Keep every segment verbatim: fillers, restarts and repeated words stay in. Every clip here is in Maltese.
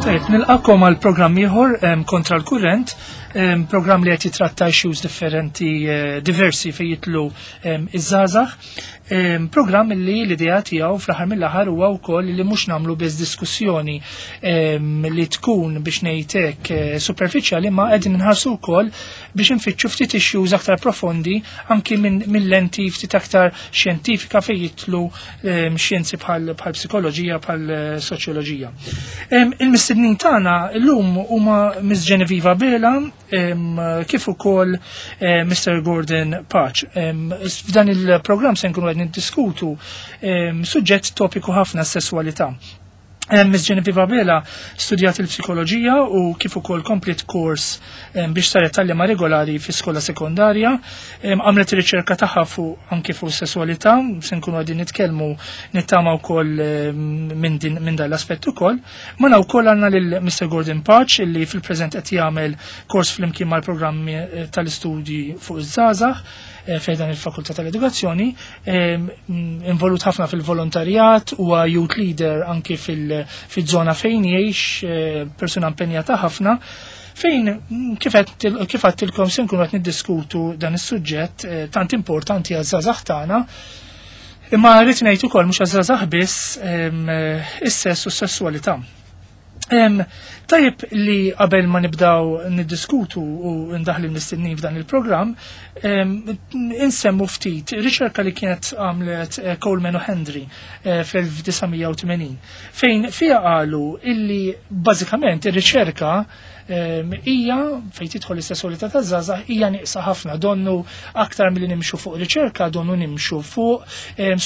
Tajjeb, nilqakom għal programm ieħor kontra l-kurrent, programm li qed jitratta issues differenti eh, diversi fejn jitlu iż-żgħażagħ. Programm li l-idea tiegħu fl-aħħar mill-aħħar huwa wkoll li mhux nagħmlu biss diskussjoni li tkun biex ngħidlek eh, superfiċjali ma qegħdin inħarsu wkoll biex infittxu ftit issues aktar profondi anki minn lenti ftit aktar xjentifika fejn jitlu xjenzi bħal psikoloġija bħal eh, soċjoloġija. Il-mistednin tagħna llum huma Miss Genevieve Bela kif ukoll eh, Mr. Gordon Pace. F'dan il-programm se nkunu qed niddiskutu suġġett topiku ħafna s-sesswalità. Miss Genevieve Abela studjat il-psikoloġija u kif ukoll komplet kors biex saret tallima regolari fi skola sekondarja. Għamlet riċerka tagħha fuq anke fuq sesswalità, se nkunu qegħdin nitkellmu nittama wkoll minn min dan l-aspett ukoll. Magħna wkoll għandna lil Mr. Gordon Pace illi fil-preżent qed jagħmel kors flimkien mal-programmi eh, tal-istudji fuq iż-żgħażagħ Eh, fejdan il-Fakultà tal-Edukazzjoni, eh, involut ħafna fil-volontarjat, huwa youth leader anki fil-żona fejn jgħix, eh, persuna impenjata ħafna fejn mm, kif għedtilkom se nkunu qed niddiskutu dan is-suġġett tant importanti għaż-żgħażagħ tagħna. Imma rrid ngħid ukoll mhux għaż-żgħażagħ biss is-sess u s-sessualità. Tajjeb li qabel ma nibdaw niddiskutu u ndaħli l-mistednin f'dan il-programm, insemmu ftit riċerka li kienet għamlet eh, Coleman u Hendry eh, fl-elf disa' mija u tmenin, fejn fija qalu illi bażikament ir-riċerka hija fejn tidħol is-sessualità taż-żgħażagħ hija nieqsa ħafna donnu aktar milli nimxu fuq riċerka donnu nimxu fuq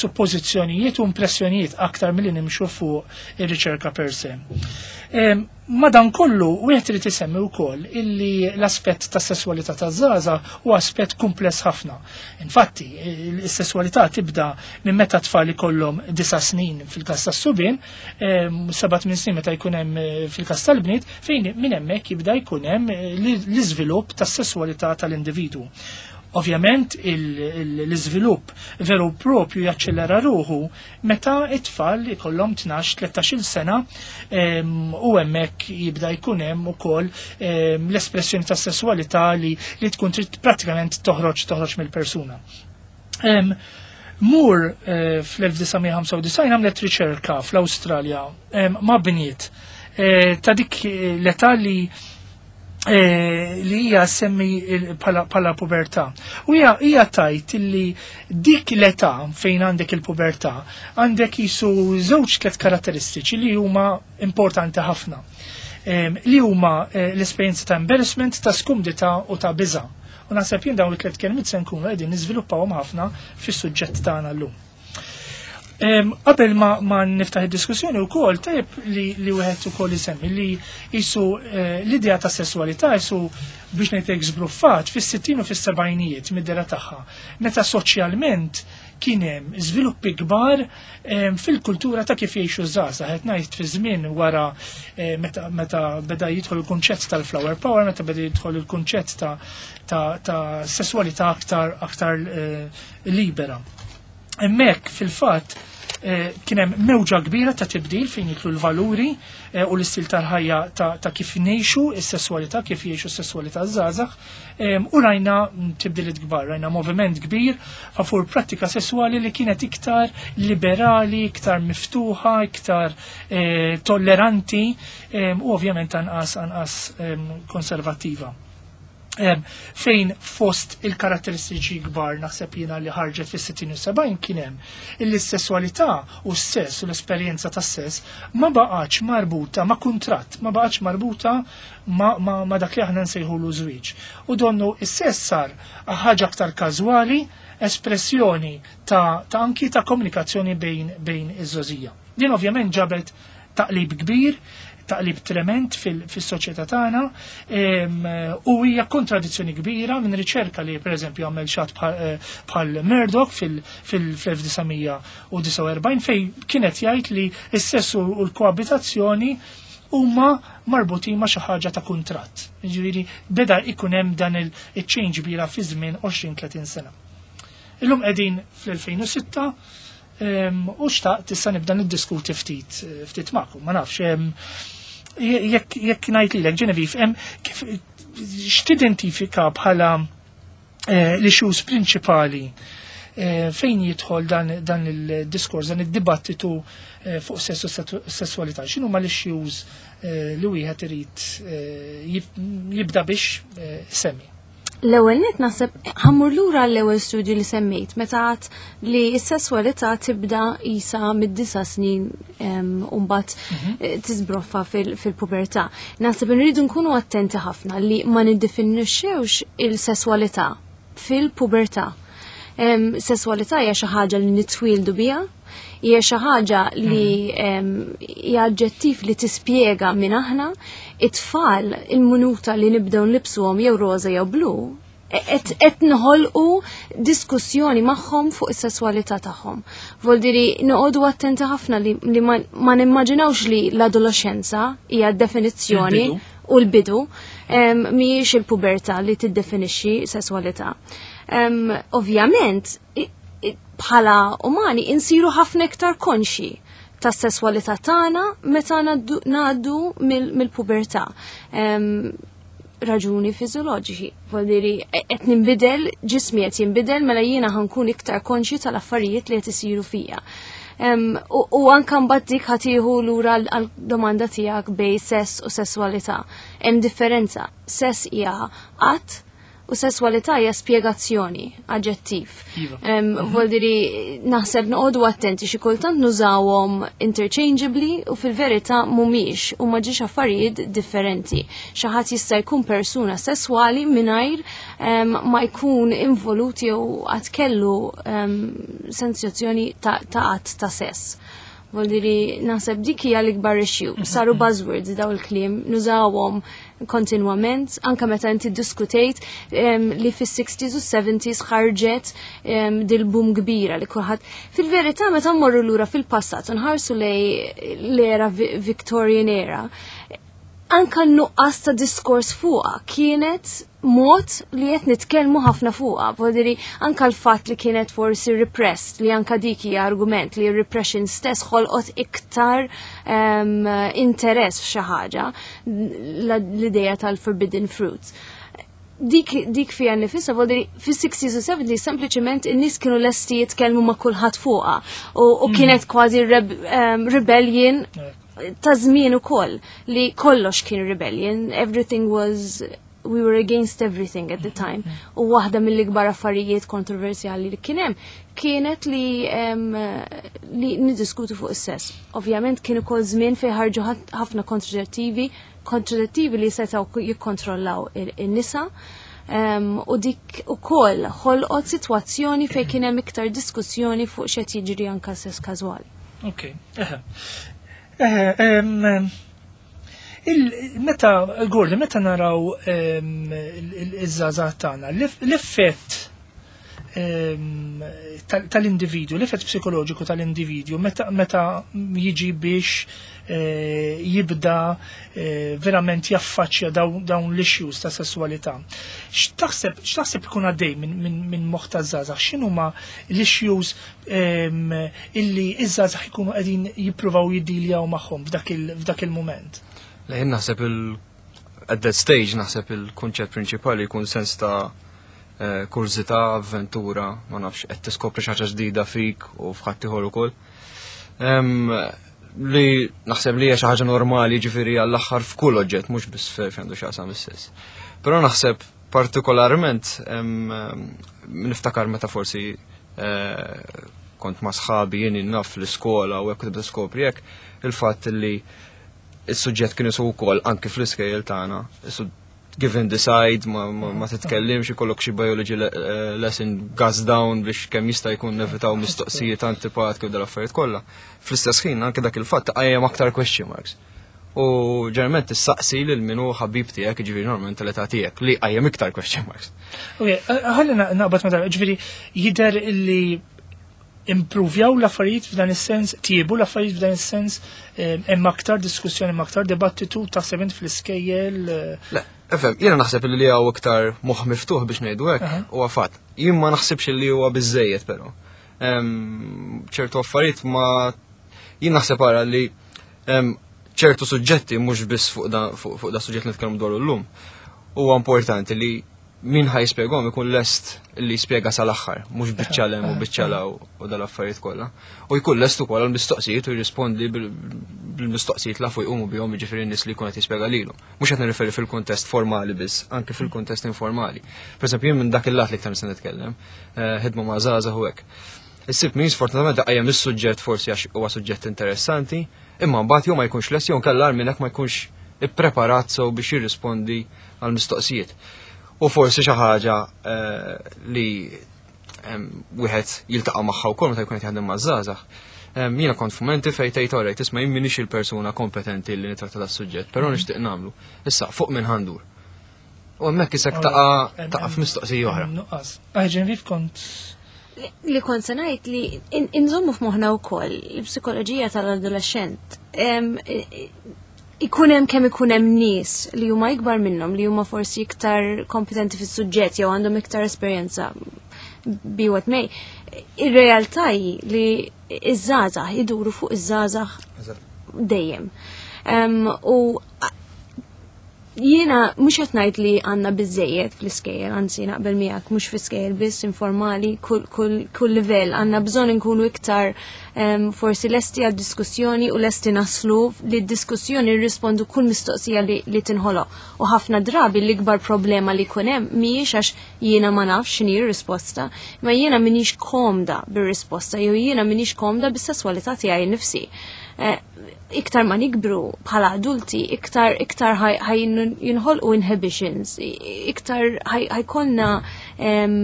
suppożizzjonijiet u impressjonijiet aktar milli nimxu fuq ir-riċerka per se. Madan kollu, wieħed irid isemmi wkoll illi l-aspett ta' sessualità ta' żgħażagħ huwa aspett kumpless ħafna. Infatti, is-sessualità tibda minn meta tfal ikollhom disa' snin fil-każ tas-subien, seba' tmien snin meta jkun hemm eh, fil-każ tal-bniet, fejn minn hemmhekk jibda jkun hemm eh, l-iżvilupp tas-sessualità tal-individwu. Ovvjament l-iżvilupp veru propju jaċċellera ruħu meta it-tfal ikollhom tnax tlettax-il sena u hemmhekk jibda jkun hemm ukoll l-espressjoni tas sessualità li, li tkun trid pratikament toħroġ toħroġ mill-persuna. Moore eh, fl-elf disa' mija ħamsa u disgħin għamlet riċerka fl-Awstralja ma' bniet eh, ta' dik l-età li Eh, li hija semmi bħala pubertà. U hija hija tgħid li dik l-età fejn għandek il-pubertà għandek jisu żewġ tliet karatteristiċi li huma importanti ħafna. Li huma eh, l-esperjenza ta' embarrassment, ta' skumdità u ta' biża'. U naħseb jien dawn it-tliet kelmiet se nkunu qegħdin niżviluppawhom ħafna fis-suġġett tagħna llum. Qabel ma, ma niftaħ id-diskussjoni wkoll tajjeb li, li wieħed ukoll isemmi li jisu eh, l-idea ta' sessualità jisu biex ngħidlek żbruffat fis-sittin u fis-sebgħinijiet mid-dera tagħha. Meta soċjalment kien hemm żviluppi kbar fil-kultura ta' kif jgħixu żgħażagħ. Qed ngħid fi żmien wara eh, meta, meta beda jidħol il-kunċett tal-flower power, meta beda jidħol il-kunċett ta', ta, ta sessualità aktar aktar eh, libera. Hemmhekk fil-fatt eh, kien hemm mewġa kbira ta' tibdil fejn jidħlu l-valuri eh, u l-istil tal-ħajja ta', ta kif ngħixu is-sesswalità, kif jgħixu s-sesswalità żgħażagħ, u rajna tibdiliet kbar, rajna moviment kbir favur prattika sesswali li kienet iktar liberali, iktar miftuħa, iktar eh, tolleranti u ovvjament anqas anqas konservattiva. Fejn fost il-karatteristiċi kbar naħseb jiena li ħarġet fis-sittin u sebgħin kien hemm illi s-sesswalità u s-sess u l-esperjenza tas-sess ma baqgħetx marbuta ma' kuntratt, ma baqgħetx marbuta ma, ma, ma dak li aħna nsejħulu żwieġ. U donnu is-sess sar ħaġa aktar każwali, espressjoni ta', ta anki ta' komunikazzjoni bejn, bejn iż-żgħożija. Din ovvjament ġabet taqlib kbir, taqlib trement fil-soċjetà tagħna u hija kontradizzjoni kbira minn riċerka li pereżempju għamel xi ħadd bħal Murdoch fil-elf disa' mija u disgħa u erbgħin fejn kienet jgħid li s-sess u l-koabitazzjoni huma marbutin ma' xi ħaġa ta' kuntratt. Jiġifieri beda ikun hemm dan il-change kbira fi żmien għoxrin tletin sena. Illum qegħdin fl-elfejn u sitta u xtaqt issa nibda niddiskuti ftit ftit magħkom, ma nafx. Jekk jekk ngħid lilek, Genevieve, hemm kif x'tidentifika bħala eh, l-issues prinċipali eh, fejn jidħol dan, dan il-diskors, dan il-dibattitu eh, fuq sessu sessualità? X'inhuma l-issues eh, li wieħed irid eh, jib- jibda biex eh, semmi? L-ewwel net naħseb ħa mmur lura l-ewwel studju li semmejt meta għedt li s-sesswalità tibda isa mid-disa' snin em, u mbagħad eh, tiżbroffa fil- fil-pubertà. Naħseb nridu nkunu attenti ħafna li ma niddefinixxewx il-sesswalità fil-pubertà. Em, Sesswalità hija xi ħaġa li nitwieldu biha, hija xi ħaġa li em, hija aġġettiv li tispjega min aħna. It-tfal, il-minuta li nibdew nlibsuhom jew roża jew blu, qed qed noħolqu diskussjoni magħhom fuq is-sesswalità tagħhom. Voldiri noqogħdu attenti ħafna li, li ma, ma nimmaġinawx li l-adolescenza hija definizzjoni Il-bidu. U l-bidu em, mhijiex il-pubertà li tiddefinixxi sesswalità. Em, Ovvjament, i- i- bħala umani insiru ħafna iktar konxi tas sesswalità tagħna meta ngħaddu- ngħaddu mill- mill-pubertà. Em, raġuni fiżjoloġiċi. Voldiri, qed ninbidel, ġismi qed jinbidel, mela jiena ħa nkun iktar konxi tal-affarijiet li qed isiru fija. Em, u, u anka mbagħad dik ħa tieħu lura għal domanda tiegħek bejn sess u sesswalità. Hemm differenza. Sess hija att u sesswalità hija spjegazzjoni, aġġettiv. Iva. Em, Voldiri, naħseb noqogħdu attenti, xi kultant nużawhom interchangeably u fil-verità mhumiex u ma ġiex affarijiet differenti. Xi ħadd jista' jkun persuna sesswali mingħajr em, ma jkun involut jew qatt kellu em, sensazzjoni ta' ta' att ta' sess. Voldiri, naħseb dik hija l-ikbar issue. Saru buzzwords daw il-kliem, nużawhom kontinwament, anka meta inti diskutejt em, li fis-sixties u seventies ħarġet em, dil-boom kbira li kulħadd. Fil-verità, meta mmorru lura fil-passat u nħarsu lej l-era Vi- Victorian era, anka n-nuqqas ta' diskors fuqa kienet mod li qed nitkellmu ħafna fuqa. Voldiri, anka l-fatt li kienet forsi repressed, li anka dik hija argument li repression stess ħolqot iktar um, interess f'xi ħaġa, l-ideja tal-forbidden fruits. Dik, dik fija nifisha, voldiri, fis-sixties u seventies sempliċement in-nies kienu lesti jitkellmu ma' kulħadd fuqa u, u kienet kważi reb, um, rebellion ta' żmien ukoll li kollox kien rebellion, everything was we were against everything at the time. U waħda mill-ikbar affarijiet kontroversjali li kien hemm kienet li em, li niddiskutu fuq is-sess. Ovvjament kien ukoll żmien fejn ħarġu ħat- ħafna kontraċettivi, kontraċettivi li setgħu jikkontrollaw il- in-nisa. Um, u dik ukoll ħolqot sitwazzjoni fejn kien hemm iktar diskussjoni fuq x'qed jiġri anka sess każwali. Ok, eħe. Eħe, em, il- meta, Gordon, meta naraw em, il- il- iż-żgħażagħ tagħna, l-eff- l-effett em, tal- tal-individwu, l-effett psikoloġiku tal-individwu, meta, meta jiġi biex eh, jibda eh, verament jaffaċċja dawn, dawn l-issues ta' sessualità. X'taħseb x'taħseb ikun għaddej minn min, min moħħ taż-żgħażagħ? X'inhuma l-issues em, illi iż-żgħażagħ ikunu qegħdin jippruvaw jiddiljaw magħhom f'dak il- f'dak il-mument? Le, jien naħseb il at that stage naħseb il-kunċett prinċipali jkun sens ta' eh, kurżità, avventura, ma nafx, qed tiskopri xi ħaġa ġdida fik u f'ħadd ieħor ukoll. Em, li naħseb li hija xi ħaġa normali, ġifieri, għall-aħħar f'kull oġġett, mhux biss fejn għandu x'jaqsam is-sess. Però naħseb partikolarment em, em, niftakar meta forsi eh, kont ma' sħabi, jien naf, l-iskola u hekk tibda skopri hekk il-fatt li il-suġġett kien isu wkoll anki fl-iskejjel tagħna. Isu give and decide, ma, ma, ma titkellimx, ikollok xi biology le eh, lesson gas down biex kemm jista' jkun nevitaw mistoqsijiet antipatiki u dal-affarijiet kollha. Fl-istess ħin anke dak il-fatt qajjem aktar question marks. U ġeneralment tissaqsi lil min hu ħabib tiegħek, jiġifieri normalment tal-età tiegħek, li qajjem iktar question marks. Ok, ħalli naqbad ma, ġifieri jidher illi improvjaw l-affarijiet f'dan is-sens, tiebu l-affarijiet f'dan is-sens, eh, hemm aktar diskussjoni, hemm aktar dibattitu, taħseb int, fl-iskejjel? eh, Le, efem, jiena naħseb li hawn iktar moħħ miftuħ biex ngħidu hekk, Aha. huwa fatt. Jien ma naħsibx li huwa biżejjed però. Em, ċertu affarijiet ma jien naħseb ara li em, ċertu suġġetti mhux biss fuq da fuq fuq da suġġett li nitkellmu dwaru llum. Huwa importanti li min ħa jispjegahom ikun lest li jispjega sal-aħħar, mhux biċċa 'l hemm u biċċa 'l hawn u dal-affarijiet kollha. U jkun lest ukoll għall-mistoqsijiet u jirrispondi bil- bil-mistoqsijiet la fuq jqumu bihom, jiġifieri n-nies li jkun qed jispjega lilhom. Mhux qed nirreferi fil-kuntest formali biss, anke fil-kuntest informali. Per eżempju, jien minn dak il-lat li iktar nista' nitkellem, eh, ħidma ma' żgħażagħ u hekk. Issib min sfortunatament qajjem is-suġġett forsi għax huwa suġġett interessanti, imma mbagħad jew ma jkunx lest jew inkella minn hekk ma jkunx ippreparat sew biex jirrispondi għal mistoqsijiet. U forsi xi ħaġa eh, li em, wieħed jiltaqa' magħha wkoll meta jkun qed jaħdem maż-żgħażagħ. Em, Jiena kont f'mumenti fejn tgħid, "Alright, isma', jien m'iniex il-persuna kompetenti li nitratta das-suġġett, però nixtieq nagħmlu. Issa fuq minn ħa ndur?" U hemmhekk isek taqa' taqa' f'mistoqsija oħra. Nuqqas. Ah, Genevieve, kont Li kont se ngħid li in- inżommu f'moħħna wkoll il-psikoloġija tal-adolescent. Em, i- Ikun hemm kemm ikun hemm nies li huma ikbar minnhom, li huma forsi iktar kompetenti fis-suġġett jew għandhom iktar esperjenza, be what may. Ir-realtà hi li iż-żgħażagħ iduru fuq iż-żgħażagħ dejjem. Em, U jiena mhux qed ngħid li għandna biżejjed fl-iskejjel, anzi naqbel miegħek, mhux fl-iskejjel biss, informali, kull, kull, kull livell għandna bżonn inkunu iktar em, forsi lesti għal diskussjoni u lesti naslu li d-diskussjoni nirrispondu kull mistoqsija li, li tinħoloq. U ħafna drabi l-ikbar problema li jkun hemm mhijiex għax jiena ma nafx x'inhi r-risposta, ma jiena m'iniex komda bir-risposta jew jiena m'iniex komda bis-sesswalità tiegħi nnifsi. Eh, iktar ma nikbru bħala adulti, iktar iktar ħaj jinħolqu inhibitions, iktar ħaj jkollna em,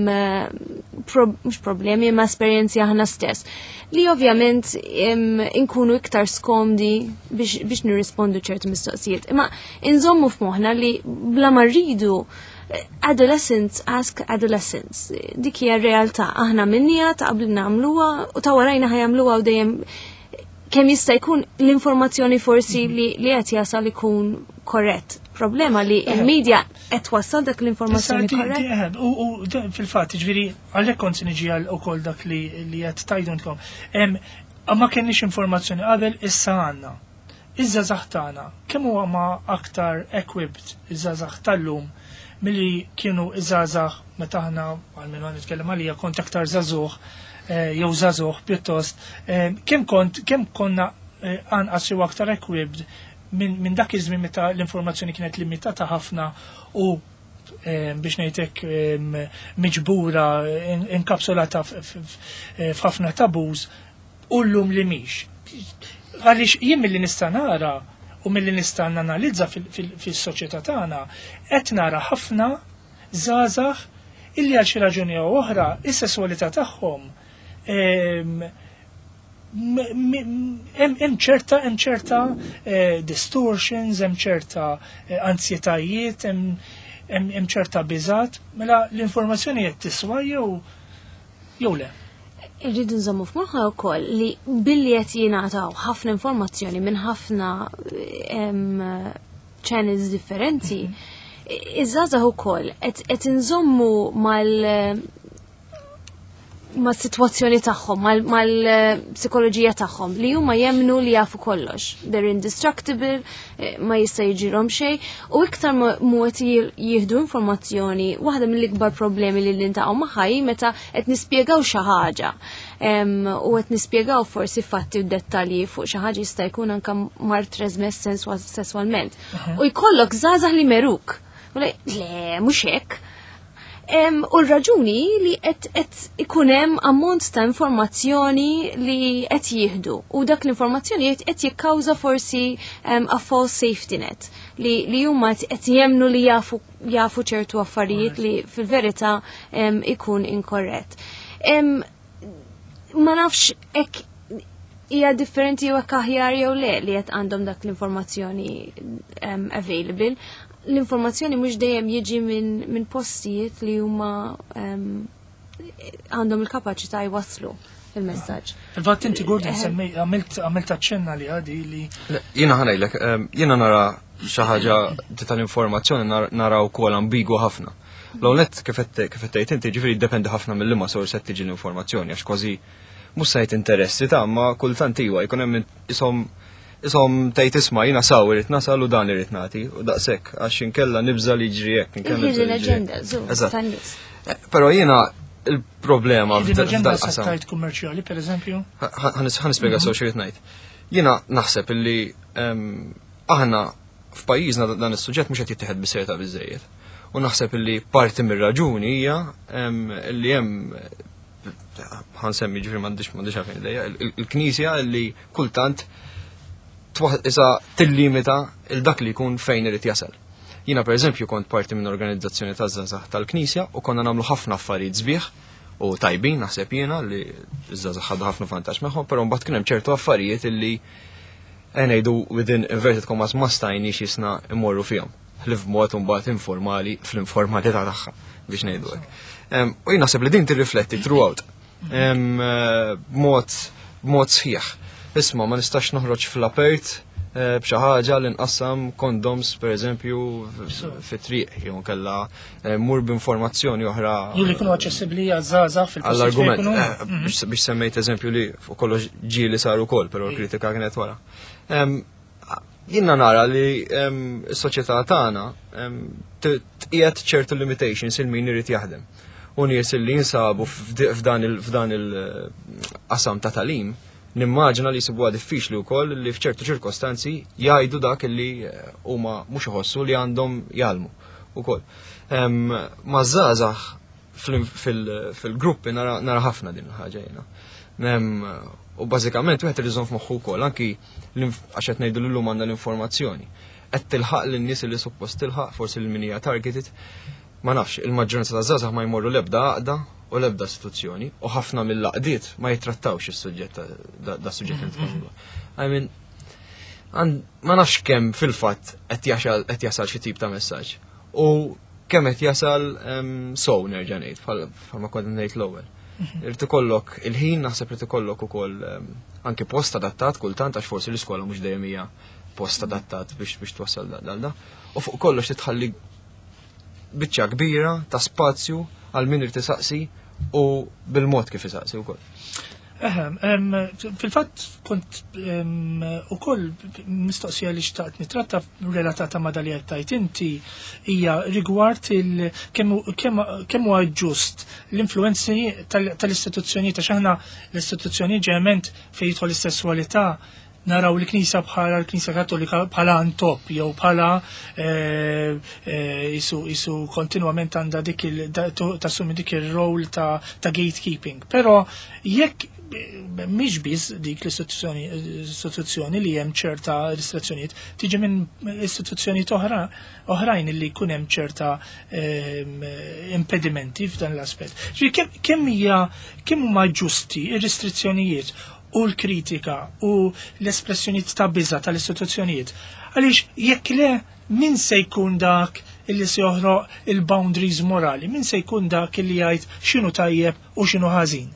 pro, mhux problemi ma esperjenzi aħna stess. Li ovvjament em, inkunu iktar skomdi biex, biex nirrispondu ċertu mistoqsijiet. Imma inżommu f'moħħna li bla ma rridu, adolescents ask adolescents. Dik hija r-realtà. Aħna minnija ta' qabel nagħmluha u ta' warajna ħa jagħmluha u dejjem kemm jista' jkun l-informazzjoni forsi li li qed jasal ikun korrett. Problema li il-media qed twassal dak l-informazzjoni korrett. U u fil-fatt, ġifieri, għalhekk kont se niġi għal ukoll dak li li qed tgħidulkom. Ma kenniex informazzjoni qabel, issa għandna. Iż-żgħażagħ tagħna, kemm huwa ma aktar equipped iż-żgħażagħ tal-lum milli kienu iż-żgħażagħ meta aħna, għalmenu nitkellem għalija, kont aktar żagħżugħ eh, jew żagħżugħ pjuttost, eh, kemm kont kemm konna eh, anqas jew aktar equipped minn min dak iż-żmien meta l-informazzjoni kienet limitata ħafna u biex ngħidlek miġbura, inkapsulata f'ħafna taboos, u llum li mhix? Għaliex jien milli nista' nara u milli nista' nanalizza fis-soċjetà tagħna, qed nara ħafna żgħażagħ illi għal xi raġuni jew oħra is-sesswalità tagħhom hemm ċerta hemm ċerta eh, distortions, hemm ċerta eh, ansjetajiet, hemm ċerta biżat, mela l-informazzjoni qed tiswa jew jew le? Irridu nżommu f'moħħna wkoll li billi qed jingħataw ħafna informazzjoni minn ħafna channels differenti, iż-żgħażagħ ukoll qed inżommu mal ma' situazzjoni tagħhom, mal-psikoloġija tagħhom li huma jemnu li jafu kollox. They're indestructible, eh, ma jista' jiġrilhom xejn, u iktar mu qed jieħdu informazzjoni, waħda mill-ikbar problemi li niltaqgħu magħha hi meta qed nispjegaw xi ħaġa. U qed nispjegaw forsi fatti u dettalji fuq xi ħaġa, jista' jkun anke mard trasmess sesswalment. U jkollok żgħażagħ li meruk. U le, mhux hekk. U l-raġuni li qed ikun hemm ammont ta' informazzjoni li qed jieħdu u dak l-informazzjoni qed jikkawża forsi a false safety net li li huma qed jemnu li jafu jafu ċertu affarijiet li fil-verità ikun inkorrett. Ma nafx hekk hija differenti jew hekk aħjar jew le li qed għandhom dak l-informazzjoni available. L-informazzjoni mhux dejjem jiġi minn min postijiet li huma għandhom il-kapaċità jwasslu il-messaġġ. Il-fatt inti, Gordon, semmej għamilt għamilt aċċenna li għadi li Jiena ħa ngħidlek, jiena nara xi ħaġa tal-informazzjoni nara wkoll ambigwa ħafna. L-għonet kif tgħid inti, ġifieri jiddependi ħafna mill-liema sors qed tiġi l-informazzjoni, għax kważi mhux sajt interessi ta' ma kultant iwa jkun hemm ishom Isom tgħid, "Isma', jiena saw irrid nasal u dan irrid nagħti u daqshekk, għax inkella nibża li jiġri hekk." Inkella nibża Il-hidden li jiġri hekk. agenda, zu, Eżatt. tan-nies. Eh, Però jiena il-problema Hidden agenda f'dal qasam. settajt kummerċjali, per eżempju. Ħa nispjega sew x'irrid ngħid. Jiena naħseb illi em, aħna f'pajjiżna dan is-suġġett mhux qed jittieħed bis-serjetà biżejjed. U naħseb illi parti mir-raġuni hija em, illi hemm, ħa nsemmi, ġifieri m'għandix m'għandix għalfejn lejja, il- il-Knisja illi kultant twa- isa tillimita il dak li jkun fejn irid jasal. Jiena, per eżempju, kont parti minn organizzazzjoni ta' żgħażagħ tal-Knisja u konna nagħmlu ħafna affarijiet sbieħ u tajbin, naħseb jiena li ż-żgħażagħ ħadu ħafna vantaġġ magħhom, però mbagħad kien hemm ċertu affarijiet illi eh, ngħidu within inverted commas ma stajniex jisna immorru fihom. Ħlief b'mod mbagħad informali fl-informalità tagħha, biex ngħidu hekk. Em, U jien naħseb li din tirrifletti throughout. Em, eh, B'mod b'mod sħiħ. Isma', ma nistax noħroġ fl-apert eh, b'xi ħaġa li nqassam condoms, per eżempju, fit-triq, jew kella eh, mur b'informazzjoni oħra. Jew li jkunu aċċessibbli għaż-żgħażagħ fil-postijiet fejn Għall-argument, jkunu. eh, biex biex semmejt eżempju li fuq kollox ġieli sar ukoll, però l-kritika kienet wara. Em, Jiena nara li em, s-soċjetà tagħna em, t- tqiegħed ċertu limitations il min irid jaħdem. U nies li jinsabu f'di- f'dan il- f'dan il-qasam ta' tagħlim, nimmaġina li jsibuha diffiċli wkoll li f'ċertu ċirkostanzi jgħidu dak li eh, huma mhux iħossu li għandhom jgħallmu ukoll. Em, Ma żgħażagħ fil- fil-gruppi nara nara ħafna din il-ħaġa jiena. Em, U bażikament wieħed irid iżomm f'moħħu wkoll anki l-inf- għax qed ngħidu llum għandna l-informazzjoni. Qed tilħaq lin-nies li suppost tilħaq, forsi lil min hija targeted. Ma nafx, il-maġġoranza ta' żgħażagħ ma jmorru l-ebda għaqda u l-ebda istituzzjoni u ħafna mill-għaqdiet ma jitrattawx is-suġġett ta' da- da suġġett li nitkellmu dwar. I mean, għan- ma nafx kemm fil-fatt qed jasal qed jasal xi tip ta' messaġġ. U kemm qed jasal em, so nerġa' ngħid bħal bħalma kont ngħid l-ewwel. Irid ikollok il-ħin, naħseb irid ikollok ukoll em, anke post adattat kultant, għax forsi l-iskola mhux dejjem hija post adattat biex biex twassal da da. U fuq kollox titħalli biċċa kbira ta' spazju għal min irid isaqsi u bil-mod kif isaqsi wkoll. Eħe, em, fil-fatt kont em, ukoll mistoqsija li xtaqt nitratta relatata ma' dali għattajt inti hija rigward il kemm kemm kemm huwa ġust l-influenzi tal- tal-istituzzjoni, ta' xaħna l-istituzzjoni ġeneralment fejn jidħol is-sessualità naraw l-Knisja bħala l-Knisja Kattolika bħala antop jew bħala eh, eh, isu isu kontinwament għandha dik il da- tu- tassumi dik ir-rol ta' ta' gatekeeping. Però jekk eh, mhix biss dik l-istituzzjoni istituzzjoni li hemm ċerta restrizzjonijiet, tiġi minn istituzzjonijiet oħra oħrajn li jkun hemm ċerta ehm, impedimenti f'dan l-aspett. Ġifieri kemm kemm hija kemm huma ġusti ir-restrizzjonijiet u l-kritika u l-espressjonijiet ta' biża tal-istituzzjonijiet? Għaliex jekk le, min se jkun dak illi se joħroq il-boundaries morali? Min se jkun dak illi jgħid x'inhu tajjeb u x'inhu ħażin?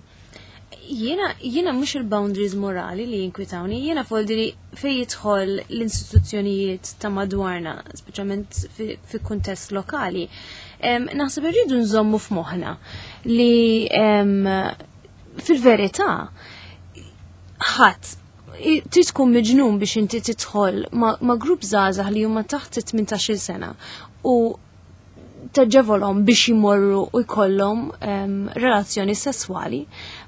Jiena, jiena mhux il-boundaries morali li jinkwitawni, jiena foldiri fej jidħol l-istituzzjonijiet ta' madwarna, speċjalment fi, fi kuntest lokali. Em, naħseb irridu nżommu f'moħħna li em, fil-verità ħadd i- trid tkun miġnun biex inti tidħol ma, ma grupp żgħażagħ li huma taħt it-tmintax-il sena u taġevolhom biex jimorru u jkollhom em, relazzjoni sesswali.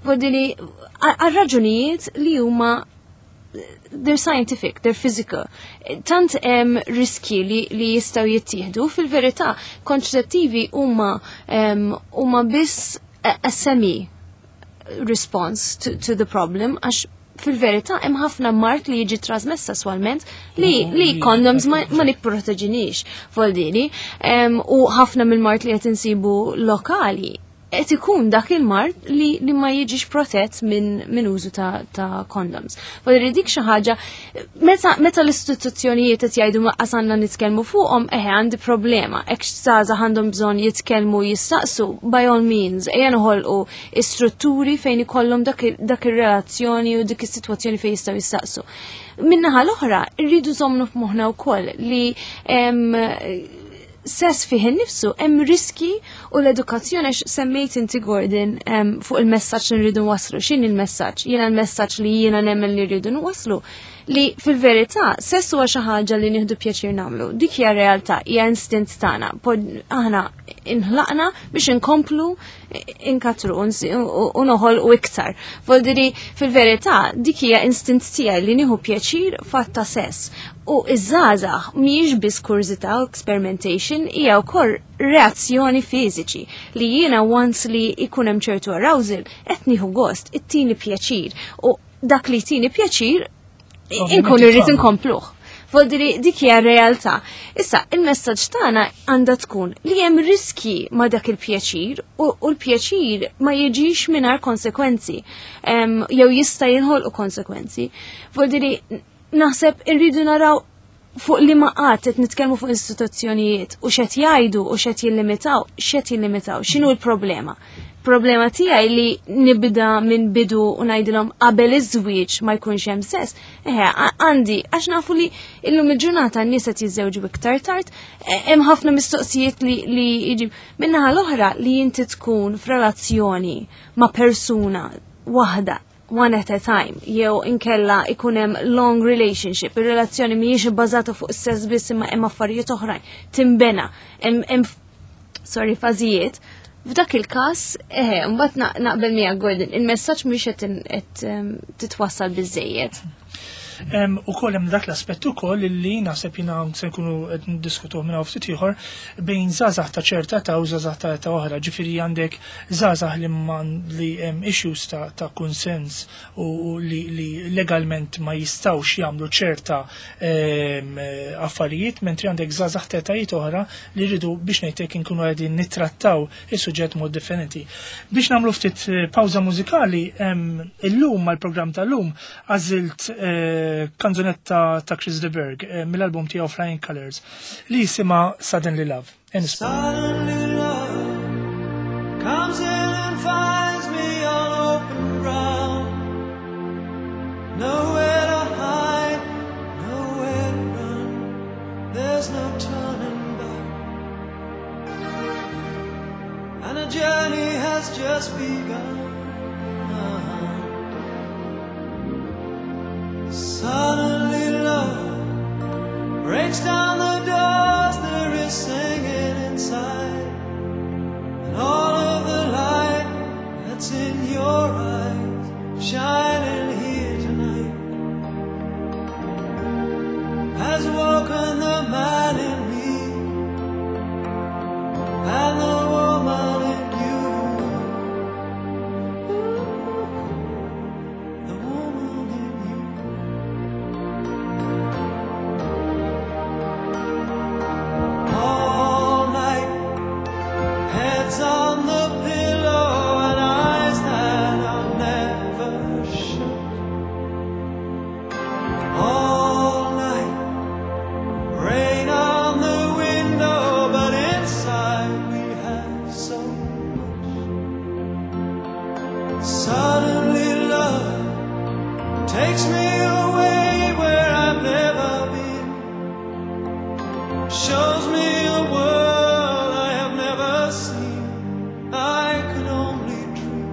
Vodili għal raġunijiet li huma they're scientific, they're physical. Tant hemm riski li, li jistgħu jittieħdu. Fil-verità, kontraċettivi huma em, huma biss a, a semi response to, to the problem, għax fil-verità hemm ħafna mard li jiġi trasmess sesswalment li, li condoms ma, ma nipproteġinix voldini um, u ħafna mill-mard li qed insibu lokali qed ikun dak il-mard li, li ma jiġix protett minn min użu ta', ta' condoms. Voldiri dik xi ħaġa meta, meta l-istituzzjonijiet qed jgħidu ma qasanna nitkellmu fuqhom, eħe, għandi problema. Hekk żgħażagħ għandhom bżonn jitkellmu, jistaqsu, by all means, ejja noħolqu strutturi fejn ikollhom dak il- dak ir-relazzjoni u dik is-sitwazzjoni fejn jistgħu jistaqsu. Min-naħa l-oħra, rridu żommu f'moħħna wkoll li em, Sess fih innifsu hemm riski u l-edukazzjoni, għax semmejt inti, Gordon, em, fuq il-messaġġ li nridu nwasslu. X'inhi il-messaġġ? Jiena l-messaġġ li jiena nemmen li rridu nwasslu li fil-verità sess huwa xi ħaġa li nieħdu pjaċir nagħmlu. Dik hija realtà, hija instint tagħna. Pod- Aħna inħlaqna biex inkomplu inkatru u nsi- u u noħolqu iktar. Voldiri, fil-verità dik hija instint tiegħi li nieħu pjaċir fatt ta' sess. U iż-żgħażagħ mhijiex biss kurżità u experimentation, hija wkoll reazzjoni fiżiċi li jiena once li ikun hemm ċertu arousal qed nieħu gost, ittini pjaċir, u dak li tini pjaċir Ovvjament inkun irrid titfagħlu. inkompluh. Voldiri, dik hija realtà. Issa, il-messaġġ tagħna għandha tkun li hemm riski ma' dak il-pjaċir u, u l-pjaċir ma jiġix mingħajr konsekwenzi. Em, jew jista' jinħolqu konsekwenzi. Voldiri, naħseb irridu naraw fuq li ma qatt qed nitkellmu fuq istituzzjonijiet u x'qed jgħidu u x'qed jillimitaw, x'qed jillimitaw, x'inhu l-problema. Problema tiegħi li nibda minn bidu u ngħidilhom qabel iż-żwieġ ma jkunx hemm sess. Eħe, a- għandi għax nafu li illum il-ġurnata n-nies qed jiżżewġu iktar tard, e- hemm ħafna mistoqsijiet li li jiġi min-naħa l-oħra li inti tkun f'relazzjoni ma' persuna waħda one at a time, jew inkella ikun hemm long relationship, ir-relazzjoni mhijiex ibbażata fuq is-sess biss imma hemm affarijiet oħrajn, timbena, hemm hemm sorry, fażijiet. F'dak il-każ, eħe, mbagħad na- naqbel miegħek, Gordon, il-messaġġ mhux qed in- qed em, titwassal biżejjed. U koll hemm dak l-aspett ukoll li naħseb jiena se nkunu qed niddiskutuh minn hawn ftit ieħor bejn żgħażagħ ta' ċerta ta' u żgħażagħ ta' ta' oħra. Ġifieri għandek żgħażagħ li man li hemm issues ta' ta' kunsens u, u li, li legalment ma jistgħux jagħmlu ċerta em, affarijiet, mentri għandek żgħażagħ ta' etajiet oħra li rridu biex ngħidlek inkunu qegħdin nittrattaw is-suġġett mod differenti. Biex nagħmlu ftit eh, pawża mużikali, em, illum mal-programm tal-lum għażilt eh, kanzunetta ta' Chris de Burgh eh, mill-album tiegħu Flying Colors li jisimha Suddenly Love. Nisma'. Suddenly love comes in and finds me on open ground. Nowhere to hide, nowhere to run. There's no turning back. And a journey has just begun. Suddenly love breaks down the doors, there is singing inside, and all of the light that's in your eyes shining here tonight has woken the man in me and the woman in you. The woman in you. All night, heads on the pillow and eyes that are never shut. All night, rain on the window, but inside we have so much. Suddenly love takes me away where I've never been. Shows me a world I have never seen. I could only dream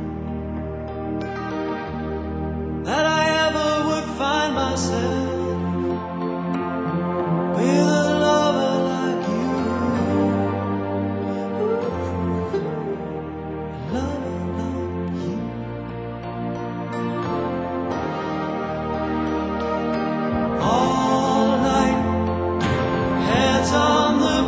that I ever would find myself with a lover like you. A lover like you. All night, heads on the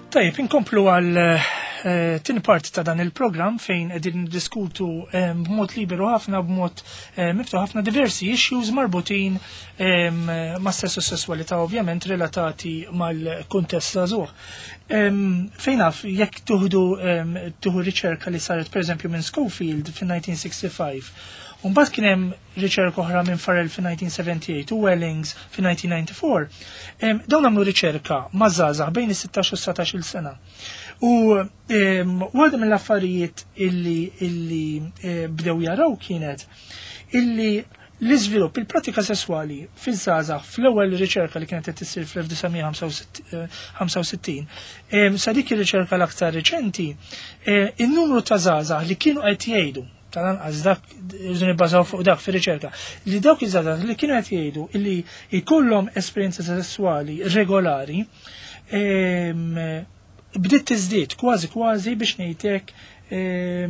Tajjeb, inkomplu għal eh, tieni parti ta' dan il-programm fejn qegħdin niddiskutu eh, b'mod liberu ħafna, b'mod eh, miftuħ ħafna diversi issues marbutin eh, ma' sess u sessualità, ovvjament relatati mal-kuntest żagħżugħ. Em, Fejn naf, jekk tuħdu em, tuħu riċerka li saret pereżempju minn Schofield fin-elf disa' mija u ħamsa u sittin, Umbagħad kien hemm riċerka oħra minn Farrell fin-elf disa' mija u sebgħa u tmenin u Wellings fin-elf disa' mija u disgħa u disgħin. Em, Dawn għamlu riċerka ma' żgħażagħ bejn is-sittax u sbatax-il sena. U em, waħda mill-affarijiet illi, illi eh, bdew jaraw kienet illi l-iżvilupp, il-pratika sessuali fiż-żgħażagħ fl-ewwel riċerka li kienet qed issir fl-elf disa' mija u ħamsa u sittin, em, sa dik ir-riċerka l-aktar reċenti, eh, in-numru ta' żgħażagħ li kienu qed jgħidu, tal-anqas dak irridu nibbażaw fuq dak fir-riċerka, li dawk iż-żgħażagħ li kienu qed jgħidu illi jkollhom esperjenza sessuali regolari, em, bdiet tiżdied kważi kważi biex ngħidlek,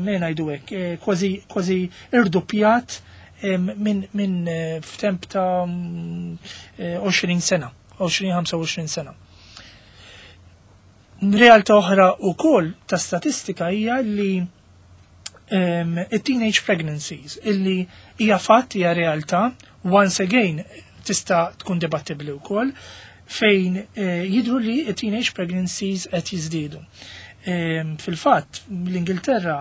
me ngħidu hekk, eh, kważi kważi irdoppjat em, minn min eh, f'temp ta' mm, eh, għoxrin sena, għoxrin ħamsa u għoxrin sena. Realtà oħra wkoll ta' statistika hija li um, teenage pregnancies, illi hija fatt, hija realtà, once again tista' tkun dibattibli wkoll, fejn eh, jidru li teenage pregnancies qed jiżdiedu. Um, Fil-fatt, l-Ingilterra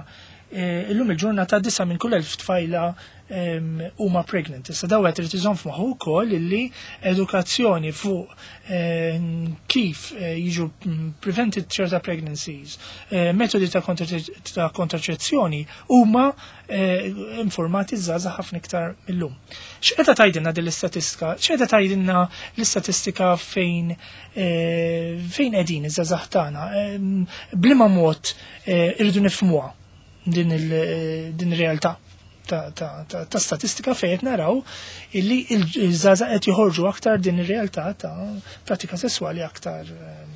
eh, illum il-ġurnata disa minn kull elf tfajla um, huma pregnant. Issa daw qed irid iżomm f'moħħu wkoll illi edukazzjoni fuq eh, kif eh, jiġu mm, prevented ċerta pregnancies, eh, metodi ta' kontra- ta' kontraċezzjoni huma eh, informati żgħażagħ ħafna iktar millum. X'qeda tgħidilna din l-istatistika? X'qeda tgħidilna l-istatistika fejn eh, fejn qegħdin iż-żgħażagħ tagħna? Em, B'liema mod eh, irridu nifhmuha din il- din ir-realtà ta', ta, ta, ta' statistika fejn qed naraw illi il-żgħażagħ qed joħorġu aktar din ir-realtà ta' pratika sesswali aktar em,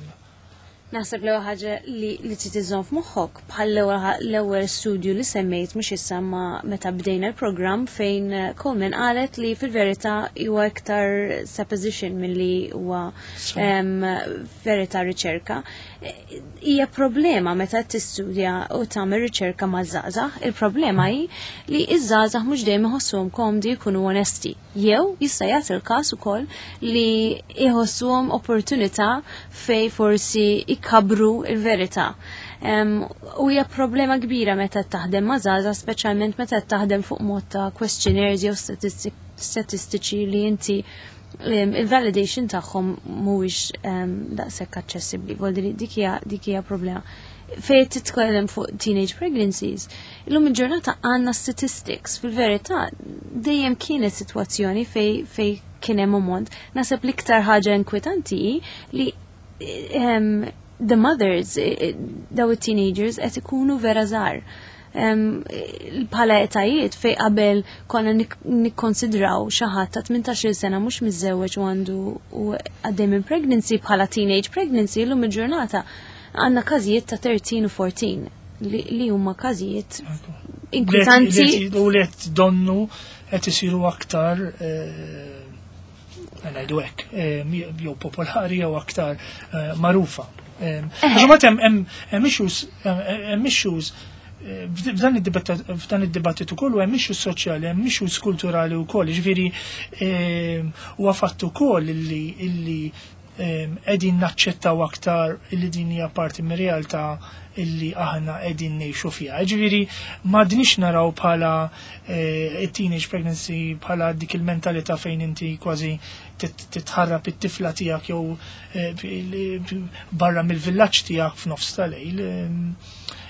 Naħseb l-ewwel ħaġa li li trid iżżomm f'moħħok, bħal l-ewwel l-ewwel studju li semmejt, mhux issa ma meta bdejna l-programm, fejn eh, Coleman qalet li fil-verità huwa iktar supposition milli huwa em, verità riċerka. Eh, Hija problema meta tistudja u tagħmel riċerka ma' żgħażagħ. Il-problema hi li iż-żgħażagħ mhux dejjem iħossuhom komdi jkunu onesti. Jew jista' jagħti il-każ ukoll li jħossuhom opportunità fej forsi ikabru il-verità. Um, u hija problema kbira meta taħdem ma' żgħażagħ, speċjalment meta taħdem fuq mod ta' questionnaires jew statistik- statistiċi li inti um, il-validation tagħhom mhuwiex um, daqshekk aċċessibbli. Vuol dik hija dik hija problema. Fejn titkellem fuq teenage pregnancies, illum il-ġurnata għandna statistics. Fil-verità, dejjem kienet sitwazzjoni fej, fej kien hemm ammont. Naħseb l-iktar ħaġa inkwetanti hi li um, the mothers, eh, eh, daw it-teenagers qed ikunu vera żgħar. Um, bħala etajiet fej qabel konna nik- nikkonsidraw xi ħadd ta' tmintax-il sena mhux miżżewweġ u għandu u għaddej minn pregnancy bħala teenage pregnancy, illum il-ġurnata għandna każijiet ta' tlettax u erbatax li, li huma każijiet inkwetanti. Li qed- U li qed donnu qed isiru aktar eh, ngħidu hekk, eh, jew popolari jew aktar eh, magħrufa. Eh, Għax imbagħad hemm hemm hemm issues hemm issues eh, f'dan id-dibattit f'dan id-dibattitu kollu hemm issues soċjali, hemm issues kulturali wkoll, ġifieri eh, huwa fatt ukoll illi illi eh, qegħdin naċċettaw aktar illi din hija parti mir-realtà illi aħna qegħdin ngħixu fiha. Ġifieri m'għadniex naraw bħala eh, teenage pregnancy bħala dik il-mentalità fejn inti kważi tit- titħarrab it-tifla tiegħek jew eh, barra mill-villaġġ tiegħek f'nofs tal-lejl.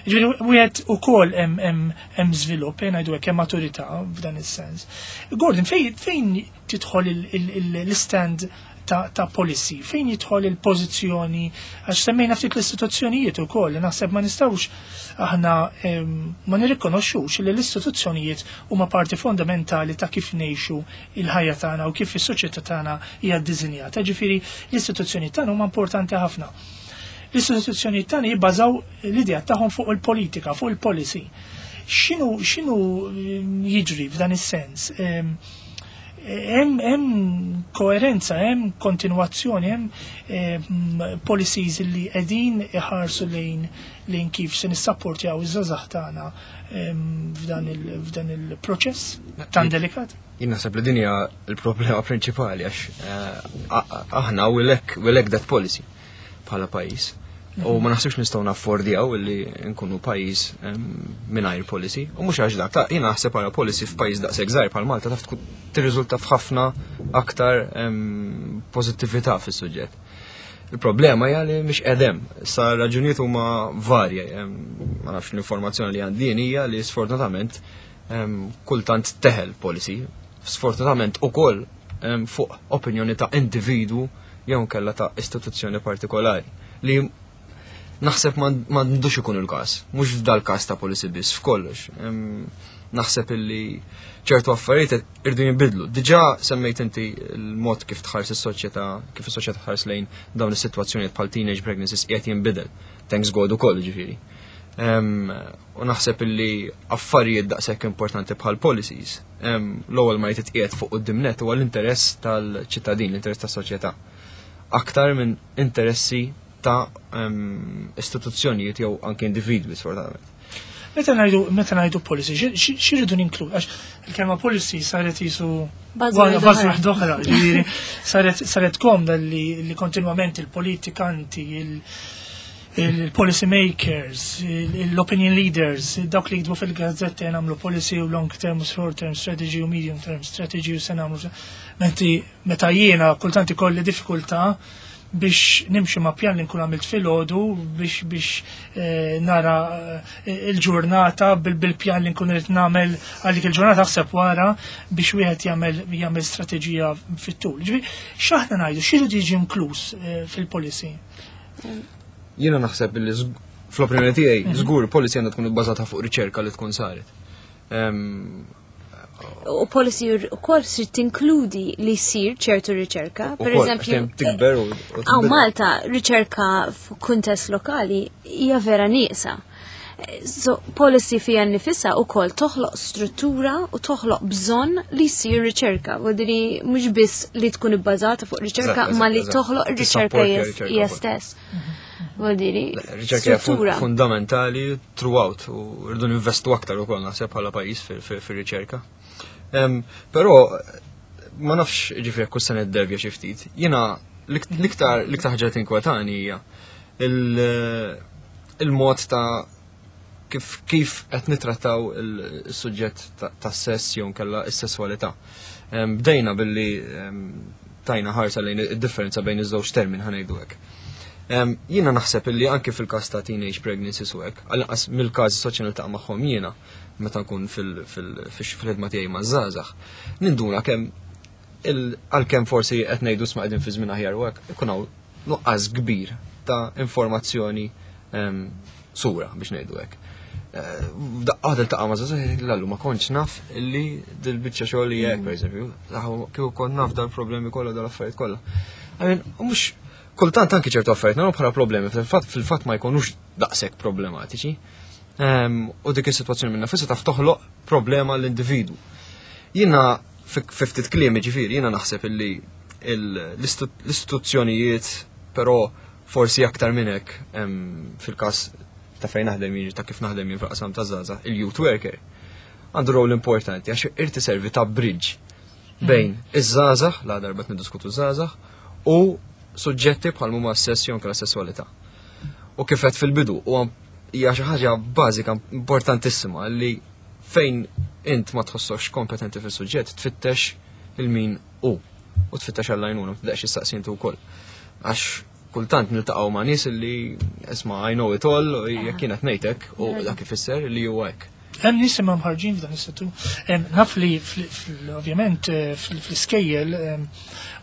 Ġifieri wieħed ukoll hemm hemm hemm żvilupp, eh, ngħidu hekk, hemm maturità f'dan is-sens. Gordon, fejn fejn tidħol il- il- il- l-stand ta', ta' policy, fejn jidħol il-pożizzjoni, għax semmejna ftit l-istituzzjonijiet ukoll, naħseb ma nistgħux aħna em, ma nirrikonoxxux li l-istituzzjonijiet huma parti fondamentali ta' kif ngħixu il-ħajja tagħna u kif is-soċjetà tagħna hija ddisinjata. Ġifieri l-istituzzjonijiet tagħna huma importanti ħafna. L-istituzzjonijiet tagħna jibbażaw l-idea tagħhom fuq il-politika, fuq il-policy. X'inhu x'inhu em, jiġri f'dan is-sens? Em, Hemm hemm koerenza, hemm kontinwazzjoni, hemm em, policies li qegħdin iħarsu lejn lejn kif se nissapportjaw iż-żgħażagħ tagħna em, f'dan il- f'dan il-proċess tan delikat. Jien naħseb li din hija l-problema prinċipali għax eh, a- a- aħna we lack, we lack that policy bħala pajjiż. U ma naħsibx nistgħu naffordjaw illi nkunu pajjiż em, mingħajr policy. U mhux għax dak, ta' jien naħseb bħala policy f'pajjiż daqshekk żgħir bħal Malta taf tkun tirriżulta f'ħafna aktar em, pożittività fis-suġġett. Il-problema hija li mhix qedem. Sa raġunijiet huma varje. em, Ma nafx, l-informazzjoni li għandi hija li sfortunatament em, kultant teħel policy. Sfortunatament ukoll em, fuq opinjoni ta' individu jew kella ta' istituzzjoni partikolari li naħseb m'għandux ikun il-każ, mhux f'dal każ ta' policy biss, f'kollox. Em, Naħseb illi ċertu affarijiet irdu jinbidlu. Diġà semmejt inti il-mod kif tħares is-soċjetà, kif is-soċjetà tħares lejn dawn is-sitwazzjonijiet bħal teenage pregnancies qiegħed jinbidel. Thanks God ukoll, ġifieri. Em, U naħseb illi affarijiet daqshekk importanti bħal policies, em, l-ewwel ma jitqiegħed fuq quddiem nett huwa l-interess tal-ċittadin, l-interess tas-soċjetà. Aktar minn interessi ta' em, istituzzjonijiet jew anke individwi, sfortunatament. Meta ngħidu meta ngħidu policy, xi- xi xi rridu ninklu? Għax il-kelma policy saret jisu Buzzword buzzword oħra. oħra, ġifieri saret saret komda li li kontinwament il-politikanti, il- il-policy makers, il- l-opinion leaders, dawk li jiktbu fil-gazzetti nagħmlu policy u long term u short term strategy u medium term strategy u se nagħmlu. Menti meta jiena kultant ikolli diffikultà biex nimxi ma' pjan li nkun għamilt filgħodu biex biex eh, nara eh, il-ġurnata bil- bil-pjan li nkun irid nagħmel għal dik il-ġurnata, aħseb wara biex wieħed jagħmel jagħmel strateġija fit-tul. Ġifieri x'aħna ngħidu, x'irid jiġi inkluż eh, fil-policy? Jiena naħseb li żg- fl-opinjoni tiegħi żgur policy għandha tkun ibbażata fuq riċerka li tkun saret. Em, U policy ukoll trid tinkludi li jsir ċertu riċerka. U Per kol, eżempju, għax dejjem tikber u- u Għaw tinbidel. Malta riċerka f'kuntest lokali hija vera nieqsa. So, policy fija nifisha ukoll toħloq struttura u toħloq bżonn li jsir riċerka. Vodiri mhux biss li tkun ibbażata fuq riċerka, Eżatt, ma li eżatt. toħloq ir-riċerka Tissapporti hija r-riċerka hija wkoll. stess. Vodiri, Riċerka hija fun- struttura. fundamentali throughout u rridu ninvestu aktar ukoll naħseb bħala pajjiż fil- fil- fir-riċerka. Em, Però ma nafx, ġifieri kull sena ddevja xi ftit. Jiena l-ik- l-iktar l-iktar ħaġa li tinkwetani hija il- il-mod ta' kif kif qed nitrattaw il-suġġett ta' ta' sess jew nkella s-sesswalità. Em, Bdejna billi em, tajna ħarsa lejn id-differenza bejn iż-żewġ termin, ħa ngħidu hekk. Em, Jiena naħseb illi anke fil-każ ta' teenage pregnancies u hekk, għal-inqas mill-każi soċjali niltaqa' magħhom jiena meta nkun fil- fil- fil-ħidma tiegħi ma' żgħażagħ, ninduna kemm il- għalkemm forsi qed ngħidu sma' qegħdin fi żmien aħjar u hekk, ikun hawn nuqqas kbir ta' informazzjoni em, sura biex ngħidu hekk. Eh, Daqqa tiltaqa' ma' żgħażagħ, "Lallu, ma kontx naf illi dil-biċċa xogħol li hekk, pereżempju, kieku kont naf dal-problemi kollha, dal-affarijiet kollha." I mean, u mhux kultant anki ċertu affarijiet nagħmlu bħala problemi, fil-fatt fil-fatt ma jkunux daqshekk problematiċi. Em, U dik is-sitwazzjoni minnha nfisha taf toħloq problema l-individwu. Jiena fi fi ftit kliem, ġifieri, jiena naħseb illi il- l-istu- l-istituzzjonijiet, però forsi aktar minn hekk em, fil-każ ta' fejn naħdem jien, ta' kif naħdem jien fil-qasam ta' żgħażagħ, il-youth worker għandu rol importanti għax irid iservi ta' bridge bejn iż-żgħażagħ, la darba niddiskutu żgħażagħ, u suġġetti bħal huma s-sess jew anke sesswalità. U kif qed fil-bidu, u hija xi ħaġa bażika importantissima li fejn int ma tħossokx kompetenti fis-suġġett tfittex il-min u u tfittex għall-għajnuna, tibdax issaqsi inti wkoll. Għax kultant niltaqgħu ma' nies li, "Isma', I know it all," u jekk kienet ngħidlek u dak ifisser li huwa hekk. Hemm nies imma mħarġin f'dan is-settur. Em, Naf li fl- fl- ovvjament eh, fl- fl-iskejjel, em,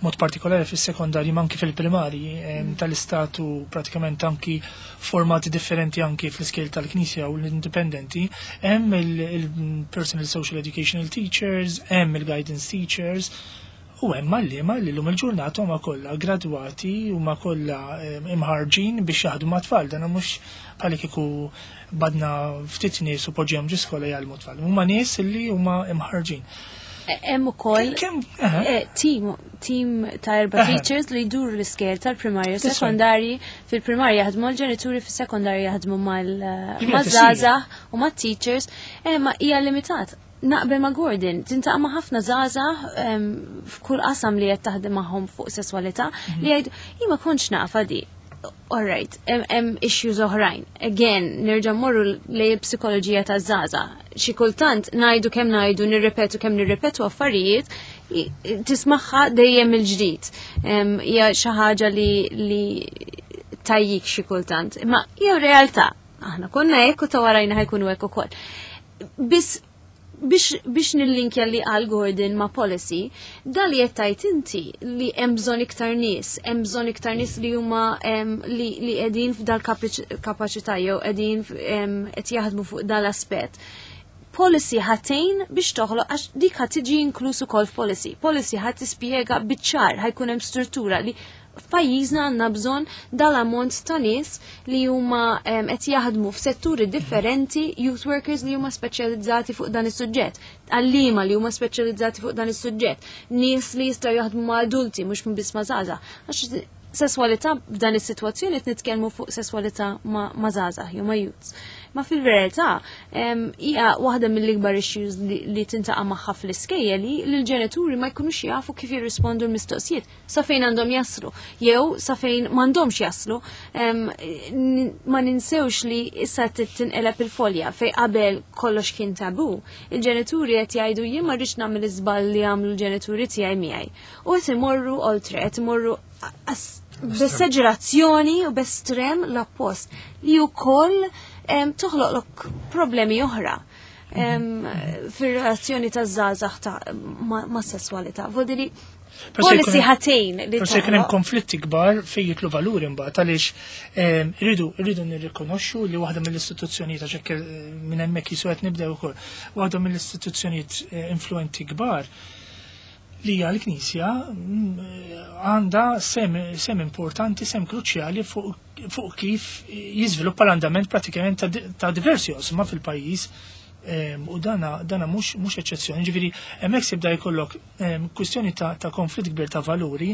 mod partikolari fis-sekondarji ma anki fil-primari em, tal-istatu pratikament, anki formati differenti anki fl-iskejjel tal-Knisja u l-indipendenti, hemm il-personal social educational teachers, hemm il-guidance teachers, u hemm għalliema li llum il-ġurnata huma kollha gradwati, huma kollha em, imħarġin biex jaħdmu ma' tfal. Dan mhux bħal kieku badna ftit nies u poġġihom ġi skola jgħallmu tfal. Huma nies li huma imħarġin. Hemm ukoll eh, team team ta' erba' teachers li jduru l-iskejjel tal-primarja u sekondarji. Fil-primarja jaħdmu l-ġenituri, fis-sekondarji jaħdmu mal-żgħażagħ u mat-teachers, eh, ma hija limitat. Naqbel ma' Gordon, tiltaqa' ma' ħafna żgħażagħ f'kull qasam li qed taħdem magħhom fuq sesswalità mhm. li jgħidu jien ma kontx nafha di. Alright, hemm issues oħrajn. Again, nerġa' mmorru lejn psikoloġija ta' żgħażagħ. Xi kultant ngħidu kemm ngħidu, nirrepetu kemm nirrepetu affarijiet, tismagħha dejjem il-ġdid. Hija xi ħaġa li li tajjik xi kultant. Imma hija realtà. Aħna konna hekk u ta' warajna ħa jkunu hekk ukoll. Biss biex, biex nillinkja li għal Gordon ma' policy, dal li qed inti li hemm bżonn iktar nies, hemm bżonn iktar nies li huma li, li qegħdin f'dal kapaċità jew qegħdin qed jaħdmu fuq dal-aspett. Policy ħa tgħin biex toħloq għax dik ħa tiġi inkluż ukoll f'policy. Policy ħa tispjega biċ-ċar ħa jkun hemm struttura li f'pajjiżna għandna bżonn dal-ammont ta' nies li huma qed jaħdmu f'setturi differenti, youth workers li huma speċjalizzati fuq dan is-suġġett, għalliema li huma speċjalizzati fuq dan is-suġġett, nies li jistgħu jaħdmu ma' adulti mhux biss ma' żgħażagħ. Għax sesswalità f'dan is-sitwazzjoni qed nitkellmu fuq sesswalità ma' żgħażagħ jew ma' youths. Ma fil-verità hija waħda mill-ikbar issues li, li tiltaqa' magħha fl-iskejjel li l-ġenituri ma jkunux jafu kif jirrispondu l-mistoqsijiet sa fejn għandhom jaslu jew sa fejn m'għandhomx jaslu. Ma ninsewx li issa tinqeleb il-folja fejn qabel kollox kien tabu. Il-ġenituri qed jgħidu jien ma rridx nagħmel iżball li għamlu l-ġenituri tiegħi miegħi. U qed imorru oltre, qed imorru b'esagerazzjoni u b'estrem l-oppost li wkoll toħloqlok problemi oħra fir-relazzjoni ta' żgħażagħ ta' ma' sesswalità. Vodili policy ħa tgħin li Forsi jkun hemm konflitti kbar fejn jidħlu valuri mbagħad għaliex irridu irridu nirrikonoxxu li waħda mill-istituzzjonijiet għax hekk minn hemmhekk jisu qed nibdew ukoll, waħda mill-istituzzjonijiet eh, influenti kbar li hija l-Knisja mm, għandha sehem, sehem importanti, sehem kruċjali fuq fuq kif jiżviluppa l-andament pratikament ta' di- ta' diversi oqsma fil-pajjiż. Em, u dana dana mhux mhux eċċezzjoni. Ġifieri hemmhekk sibda jkollok em, kwistjoni ta', ta' konflitt kbir ta' valuri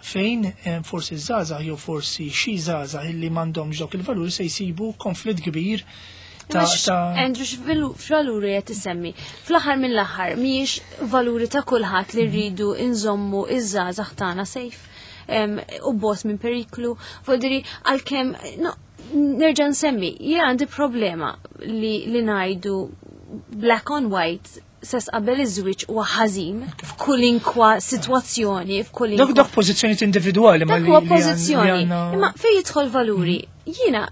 fejn em, forsi żgħażagħ jew forsi xi żgħażagħ illi m'għandhomx dawk il-valuri se jsibu konflitt kbir ta' ta' Andrew, x'valuri qed isemmi? Fl-aħħar mill-aħħar mhijiex valuri ta' kulħadd li rridu nżommu iż-żgħażagħ tagħna safe em, u bogħod minn periklu. Vodiri għalkemm no, nerġa' nsemmi, jien għandi problema li, li ngħidu black on white sess qabel iż-żwieġ huwa ħażin f'kolinkwa sitwazzjoni, f'kolinkwa Dak dak pożizzjonijiet individwali ma Dak li huwa li għan- pożizzjoni. li għandna- Imma fejn jidħol valuri, jiena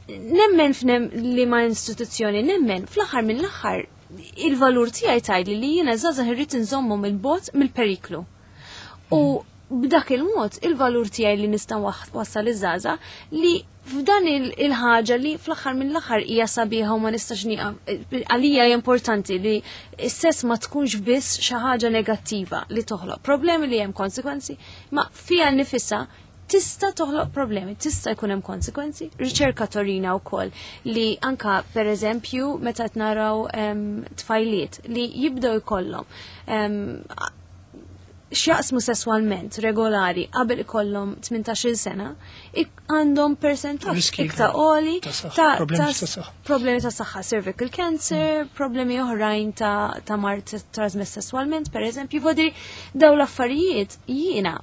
nemmen f'nem li ma istituzzjoni nemmen fl-aħħar mill-aħħar il-valur tiegħi tgħidli li jiena żgħażagħ irrid inżommhom il-bogħod mill-periklu. U b'dak il-mod il-valur tiegħi li nista' wassal iż-żgħażagħ li f'dan il- il-ħaġa li fl-aħħar mill-aħħar hija sabiħa u ma nistax nieqaf għalija hija importanti li s-sess ma tkunx biss xi ħaġa negattiva li toħloq problemi li hemm konsekwenzi, ma fija nifisha tista' toħloq problemi, tista' jkun hemm konsekwenzi. Riċerka turina wkoll li anka per eżempju meta qed naraw em, tfajliet li jibdew ikollhom em, x'jaqsmu sesswalment regolari qabel ikollhom tmintax-il sena, ik- għandhom percentaġġ Riski iktar għoli ta' saħħa, ta' problemi ta' ta' saħħa. problemi ta' saħħa, cervical cancer, problemi oħrajn ta' ta' mard trasmess sesswalment, per eżempju, vodiri daw l-affarijiet jiena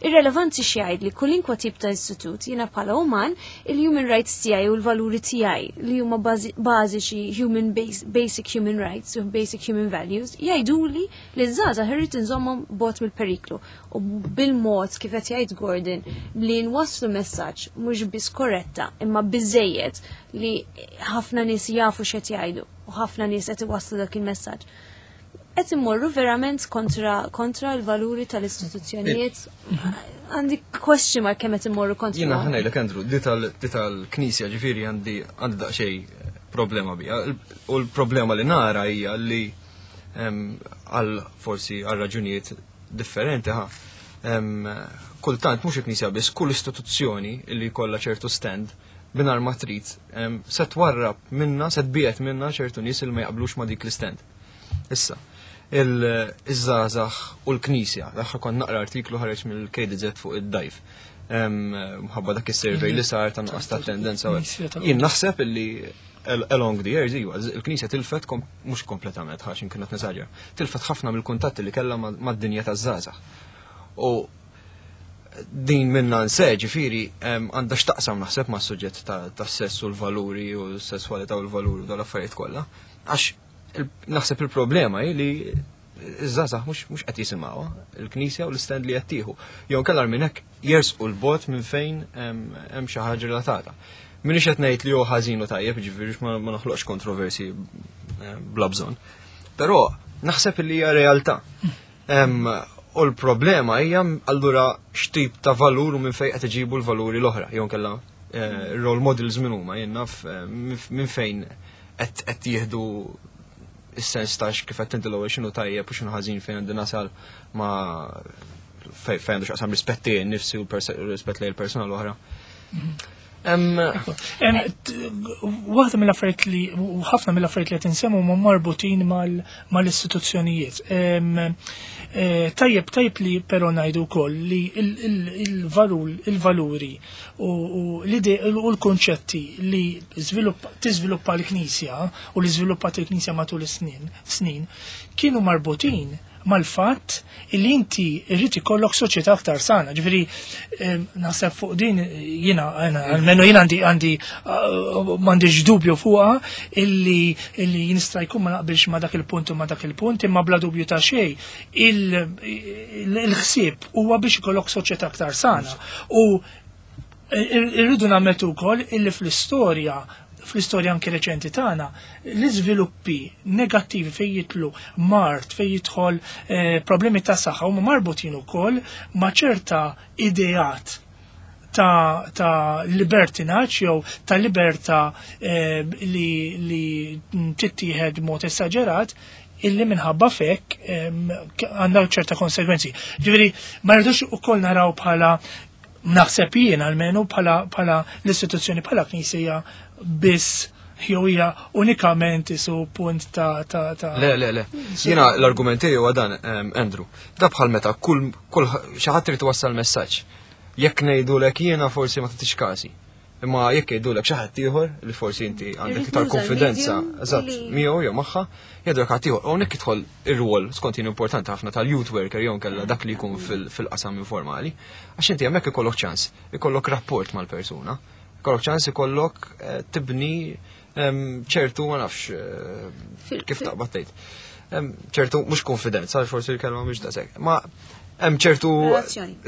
irrelevanti x'jgħid li kulinkwa tip ta' istitut, jiena bħala uman, il-human rights tiegħi u l-valuri tiegħi li huma bażi- bażiċi human base, basic human rights u basic human values jgħiduli li żgħażagħ irrid inżommhom bogħod mill-periklu. U bil-mod kif qed jgħid Gordon li nwasslu messaġġ mhux biss korretta imma biżejjed li ħafna nies jafu x'qed jgħidu u ħafna nies qed iwasslu dak il-messaġġ. Qed immorru verament kontra kontra l-valuri tal-istituzzjonijiet. Għandi question mark kemm qed immorru kontra. Jiena ħa ngħidlek Andrew, di tal- di tal-knisja ġifieri għandi għandi daqsxejn problema bija. U l-problema li nara hija li em, għal forsi għal raġunijiet differenti ħa. em, Kultant mhux il-knisja biss, kull istituzzjoni li jkollha ċertu stand mingħajr ma trid em, se twarrab minna, se tbiegħed minna ċertu nies li ma jaqblux ma dik l-stand. Issa, Iż-żgħażagħ u l-Knisja. L-aħħar kont naqra artiklu ħareġ mill-K D Z fuq id-D I F. Mħabba dak is-survey li sar ta' nuqqas ta' tendenza. Jien naħseb illi along the years, iva, il-Knisja tilfet, mhux kompletament, għax kienet nesaġera, tilfet ħafna mill-kuntatti li kellha mad-dinja taż-żgħażagħ. U din minna nse, ġifieri, għandha x'taqsam naħseb ma' suġġett ta' sess u l-valuri u s-sessualità u l-valuri u dal-affarijiet kollha. Għax naħseb il-problema hi li iż-żgħażagħ mhux qed jisimgħuha il-Knisja u l-stand li qed tieħu. Jew kellha minn hekk jersqu 'l bogħod minn fejn hemm xi ħaġa relatata. Minix qed ngħid li hu ħażin u tajjeb, ġifieri ma noħloqx kontroversi eh, bla bżonn. Però naħseb li hija realtà. U l-problema hija allura x'tip ta' valur u minn fejn qed iġibu l-valuri l-oħra, jew kellha eh, role models minn huma, jien naf eh, minn fejn qed jieħdu is-sens ta' kif qed inti l-ewwel x'inhu tajjeb u x'inhu ħażin, fejn għandi nasal ma fejn għandu x'aqsam rispetti nifsi u rispett lejn il-persuna l-oħra. Waħda mill-affarijiet li u ħafna mill-affarijiet li qed insemmu huma marbutin mal-istituzzjonijiet. E, tajjeb tajjeb li però ngħidu wkoll li il-valuri u l-konċetti li tiżviluppa l-Knisja u li żviluppat il-Knisja matul is-snin snin kienu marbutin mal-fatt illi inti irrid ikollok soċjetà aktar sana. Ġifieri naħseb fuq din jiena almenu jiena għandi għandi uh, m'għandix dubju fuqha illi illi jista' jkun ma naqbilx ma dak il-punt u ma dak il-punt, imma bla dubju ta' xejn il-ħsieb huwa biex ikollok soċjetà aktar sana. U irridu nammettu wkoll illi fl-istorja fl-istorja anke reċenti tagħna, l-iżviluppi negattivi fejn jidħlu mard, fejn jidħol eh, problemi ta' saħħa huma marbutin ukoll ma' ċerta ideat ta', ta libertinaġġ jew ta' libertà eh, li, li tittieħed mod esaġerat illi minħabba fek għandha ċerta konsegwenzi. Ġifieri, ma rridux ukoll naraw bħala, naħseb jien almenu, bħala bħala l-istituzzjoni bħala knisja biss jew hija unikament isu punt ta' ta' ta' Le, le, le. Jiena l-argument huwa dan, Andrew. Da bħal meta kull kull xi ħadd irid iwassal messaġġ. Jekk ngħidulek jiena forsi ma tagħtix każi. Imma jekk jgħidulek xi ħadd ieħor li forsi inti għandek iktar konfidenza, eżatt, miegħu jew magħha, jgħidulek ħadd ieħor. Hawnhekk jidħol ir-rwol skont jien importanti ħafna tal-youth worker jew kellha dak li jkun fil-qasam informali. Għax inti hemmhekk ikollok ċans, ikollok rapport mal-persuna, ikollok ċans ikollok eh, tibni ċertu, ma nafx eh, kif taqbad tgħid. Ċertu mhux konfidenza, forsi l-kelma mhux daqshekk. Ma hemm ċertu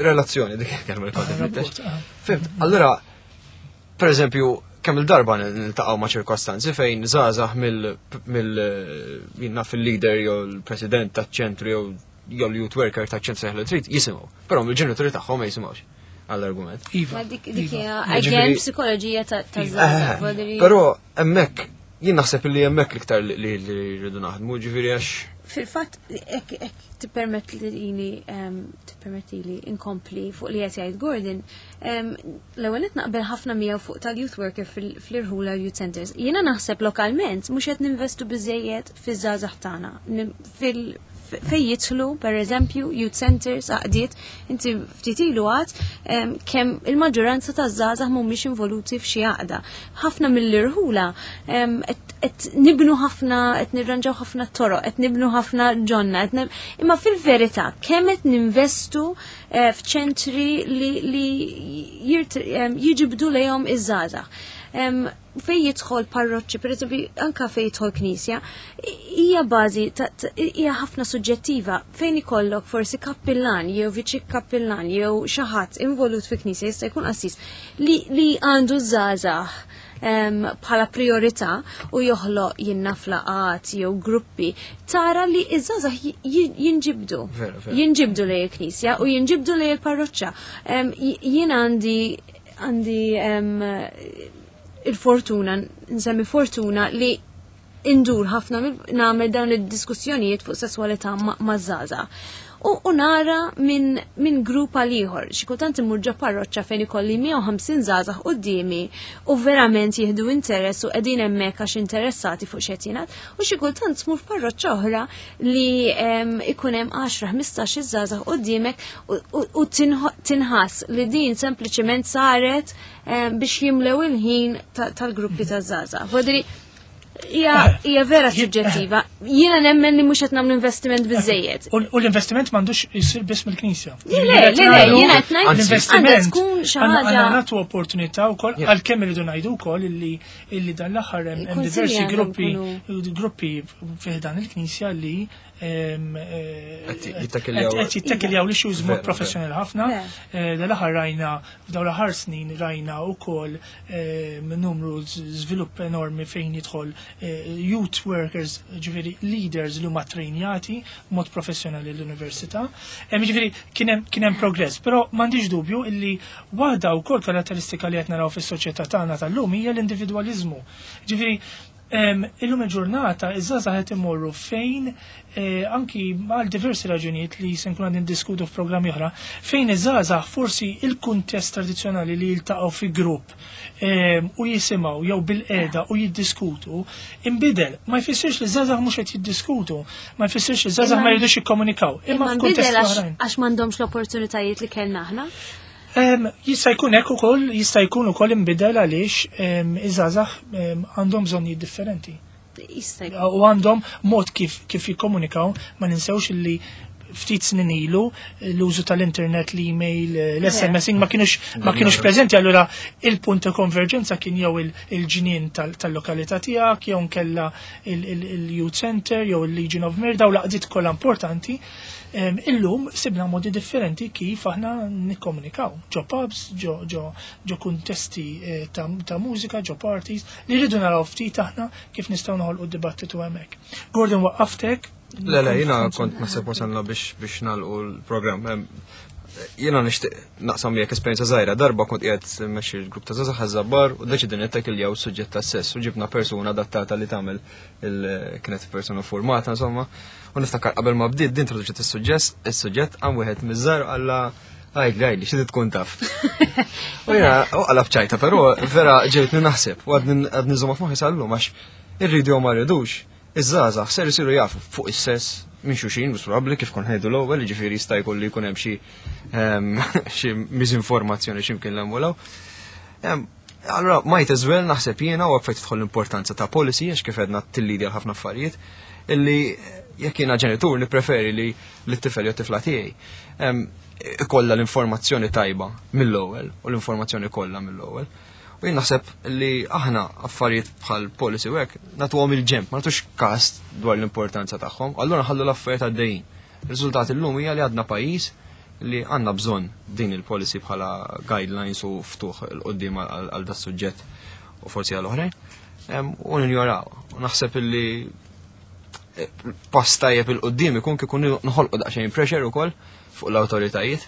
relazzjoni, dik il-kelma li kont. Fhimt, allura per eżempju, kemm il-darba niltaqgħu ma' ċirkostanzi fejn żgħażagħ mill mill fil-leader jew l-president taċ-ċentru jew jew l-youth worker taċ-ċentru li trid jisimgħu, però mill-ġenituri tagħhom ma jisimgħux għall-argument. Iva. Ma dik dik hija again psikoloġija ta' żgħażagħ. Eh, però hemmhekk jien naħseb li hemmhekk l-iktar li rridu naħdmu, ġifieri għax Fil-fatt, ek tippermettili tippermettili inkompli fuq li qed jgħid Gordon, l-ewwel qed naqbel ħafna miegħu fuq tal-youth worker fl-irħula, youth centers. Jiena naħseb lokalment mhux qed ninvestu biżejjed fiż-żgħażagħ tagħna. Fil fej jidħlu, per eżempju, youth centers, għaqdiet, inti ftit ilu għad kemm il-maġġoranza ta' żgħażagħ mhumiex involuti f'xi għaqda. Ħafna mill-irħula qed nibnu ħafna, qed nirranġaw ħafna toroq, qed nibnu ħafna ġonna, imma fil-verità kemm qed ninvestu eh, f'ċentri li jiġibdu lejhom iż-żgħażagħ. Fej jidħol parroċċi, per eżempju, anka fej jidħol knisja, hija bażi, hija ħafna suġġettiva fejn ikollok forsi kappillan jew viċi kappillan jew xi ħadd involut fi knisja, jista' jkun qassis li, li għandu żgħażagħ bħala priorità u joħloq jinnaf laqgħat jew gruppi, tara li iż-żgħażagħ jinġibdu. Jinġibdu lejn il-knisja u jinġibdu lejn il-parroċċa. Jien għandi għandi il-fortuna, nsemmi fortuna li indur ħafna nagħmel dawn id-diskussjonijiet fuq sesswalità maż-żgħażagħ. U nara minn min grupp għal ieħor. Xi kultant immur ġo parroċċa fejn ikolli mija u ħamsin żgħażagħ quddiemi u verament jieħdu interess u qegħdin hemmhekk għax interessati fuq x'qed jingħad. U xi kultant tmur f'parroċċa oħra li ikun hemm għaxra, ħmistax żgħażagħ quddiemek u tinħass li din sempliċement saret biex jimlew il-ħin tal-gruppi ta' żgħażagħ. Hija vera suġġettiva. Jiena nemmen li mhux qed nagħmlu investiment biżejjed. U l-investiment m'għandux jsir biss mill-Knisja. Le, le, le, jiena qed ngħid L-investiment tkun xi ħaġa. Għandna nagħtu opportunità wkoll, għalkemm irridu ngħidu wkoll illi illi dan l-aħħar hemm diversi gruppi gruppi fih dan il-Knisja li qed jittakiljaw l-issues mod professjonali ħafna. Dan l-aħħar rajna, f'dawn l-aħħar snin rajna wkoll numru, żvilupp enormi fejn jidħol youth workers, ġifieri leaders li huma trejnjati mod professjonali l-università. Ġifieri kien hemm progress, però m'għandix dubju illi waħda wkoll karatteristika li qed naraw fis-soċjetà tagħna tal-lum hija l-individwaliżmu. Ġifieri illum il-ġurnata iż-żgħażagħ qed imorru fejn anki għal diversi raġunijiet li se nkun qegħdin diskutu f'programmi oħra, fejn iż-żgħażagħ forsi il-kuntest tradizzjonali li jiltaqgħu fi grupp u jisimgħu jew bil-qeda u jiddiskutu imbidel. Ma jfissirx li żgħażagħ mhux qed jiddiskutu, ma jfissirx li żgħażagħ ma jridux jikkomunikaw. Imma f'kuntest għax m'għandhomx l-opportunitajiet li kellna aħna. Jista' jkun hekk ukoll, jista' jkun ukoll inbidel għaliex iż-żgħażagħ għandhom bżonnijiet differenti. U għandhom mod kif kif jikkomunikaw. Ma ninsewx li ftit snin ilu l-użu tal-internet, l-email, l-S M S ma kienux ma kienux preżenti, allura il-punt ta' konverġenza kien jew il-ġnien tal-lokalità tiegħek jew nkella il-youth center jew il-Legion of Mary, dawn l-għaqdiet kollha importanti. Illum sibna modi differenti kif aħna nikkomunikaw. Ġo pubs, ġo, ġo, ġo kuntesti eh, ta', ta' mużika, ġo parties, li rridu naraw ftit aħna kif nistgħu noħolqu dibattitu hemmhekk. Gordon, waqqaftek? Le, le, jiena kont naħseb wasalna biex biex nagħlqu l-programm. Jiena nixtieq naqsam miegħek esperjenza żgħira. Darba kont qiegħed mmexxi l-grupp ta' żgħażagħ Ħaż-Żabbar u deċidejna nittakiljaw suġġett ta' sess u ġibna persuna adattata li tagħmel, kienet persuna formata, insomma. U niftakar qabel ma bdiet din introduċiet is-suġġett, is-suġġett għam wieħed miż-żgħar qalla: "Għidli, għidli, xi tkun taf?" U jiena u qalab ċajta, però vera ġejtni naħseb u għadni nżomma f'moħħi sal-lum, għax irridu jew ma rridux, iż-żgħażagħ ser isiru jafu fuq is-sess minn xulxin, mhux probabbli kif kon ħejdu l-ewwel, jiġifieri jista' jkun li jkun hemm xi xi miżinformazzjoni x'imkien l Allora, might as well, naħseb jiena, u fejn tidħol l-importanza ta' policy, għax kif għedna tillidi għal ħafna affarijiet, illi jekk jiena ġenitur nippreferi li l-tifel jew tifla tiegħi ikollha l-informazzjoni tajba mill-ewwel u l-informazzjoni kollha mill-ewwel. U jien naħseb li aħna affarijiet bħal policy u hekk nagħtuhom il-ġenb, ma nagħtux każ dwar l-importanza tagħhom, allura nħallu l-affarijiet għaddejjin. Ir-riżultat illum hija li għadna pajjiż li għandna bżonn din il-policy bħala guidelines u ftuħ 'il quddiem għal da suġġett u forsi għal oħrajn. U ninjoraw. U naħseb illi eh, pass tajjeb 'il quddiem ikun kieku noħolqu daqsxejn pressure ukoll fuq l-awtoritajiet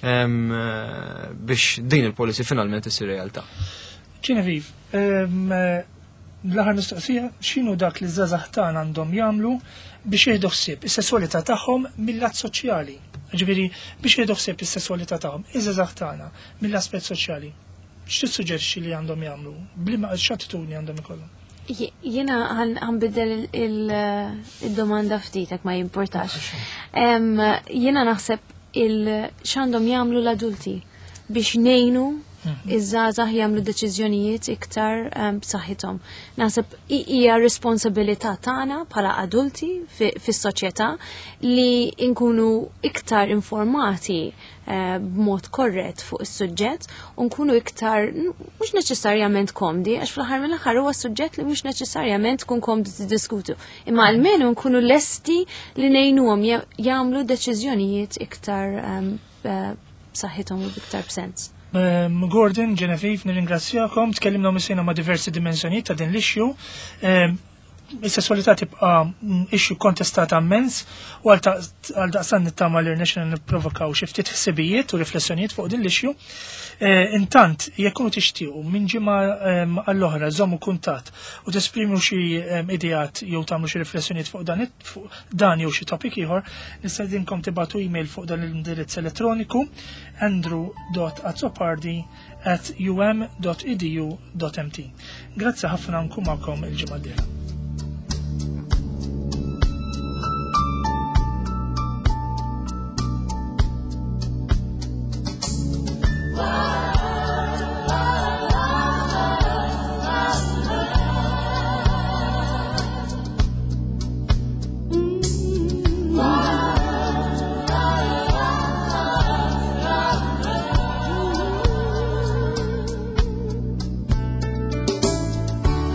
eh, biex din il-policy finalment issir realtà. Genevieve, l-aħħar mistoqsija, x'inhu dak li żgħażagħ tagħna għandhom jagħmlu biex jieħdu ħsieb is-sesswalità tagħhom mill-lat soċjali? Ġifieri biex jieħdu ħsieb is-sesswalità tagħhom, iż-żgħażagħ tagħna mill-aspett soċjali. X'tissuġġerixxi li għandhom jagħmlu? Bliema x'attitudni għandhom ikollhom? Jiena ħa nbiddel il-domanda ftit, ma jimportax. Jiena naħseb il x'għandhom jagħmlu l-adulti biex ngħinu iż-żgħażagħ jagħmlu deċiżjonijiet iktar b'saħħithom. Naħseb hija responsabilità tagħna bħala adulti fis-soċjetà li nkunu iktar informati eh, b'mod korrett fuq is-suġġett u nkunu iktar mhux neċessarjament komdi, għax fl-aħħar mill-aħħar huwa suġġett li mhux neċessarjament tkun komdi tiddiskutu. Imma almenu nkunu lesti li ngħinuhom jagħmlu deċiżjonijiet iktar b'saħħithom u b'iktar b'sens. Um, Gordon, Genevieve, nirringrazzjakom. Tkellimna missejna ma' diversi dimensjonijiet ta' din l-issue. Um, Is-sesswalità tibqa' issue kontestata immens u għal daqstant nittama li rnexxina nipprovokaw xi ftit ħsibijiet u riflessjonijiet fuq din l-issue. Intant, jekk kunu tixtiequ minn ġimgħa għall-oħra żommu kuntatt u tesprimu xi ideat jew tagħmlu xi riflessjonijiet fuq dan fuq dan jew xi topic ieħor, nistedinkom tibagħtu email fuq dan l-indirizz elettroniku andrew dot azzopardi at um dot edu dot M T. Grazzi ħafna, nkun magħkom il-ġimgħa d-dieħla.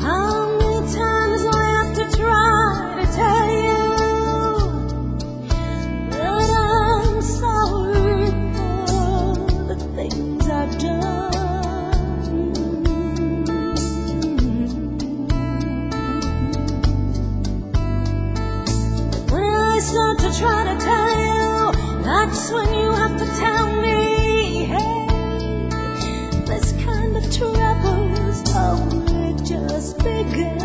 How many times do I have to try to tell you that I'm sorry for the things I've done? When I start to try to tell you, that's when you have to tell me, hey, this kind of trouble's only just begun.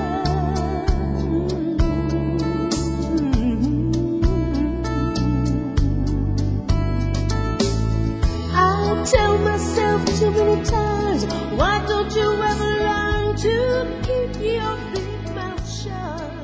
I tell myself too many times, why don't you ever learn to keep your big mouth shut?